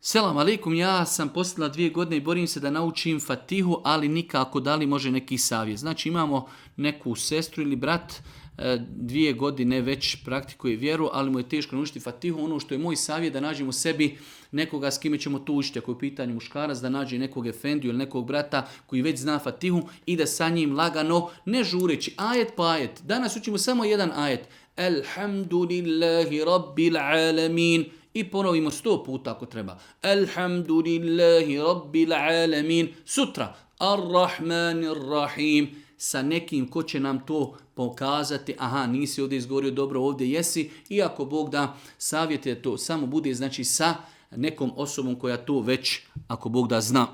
Selam alaikum, ja sam postala 2 godine i borim se da naučim Fatihu, ali nikako, da li može neki savjet. Znači imamo neku sestru ili brat, 2 godine već praktikuje vjeru, ali mu je teško naučiti Fatihu. Ono što je moj savjet da nađemo sebi nekoga s kime ćemo to učiti. Ako je u pitanju muškarac, da nađe nekog efendiju ili nekog brata koji već zna Fatihu i da sa njim lagano, ne žureći, ajet po ajet. Danas učimo samo jedan ajet. Alhamdulillahi rabbil alamin. I ponovimo 100 puta ako treba. Alhamdulillahi rabbil alamin. Sutra. Ar-Rahmanir-Rahim. Sa nekim ko će nam to pokazati. Aha, nisi ovdje izgovorio dobro, ovdje jesi. I ako Bog da savjetuje to, samo bude znači sa nekom osobom koja to već, ako Bog da zna.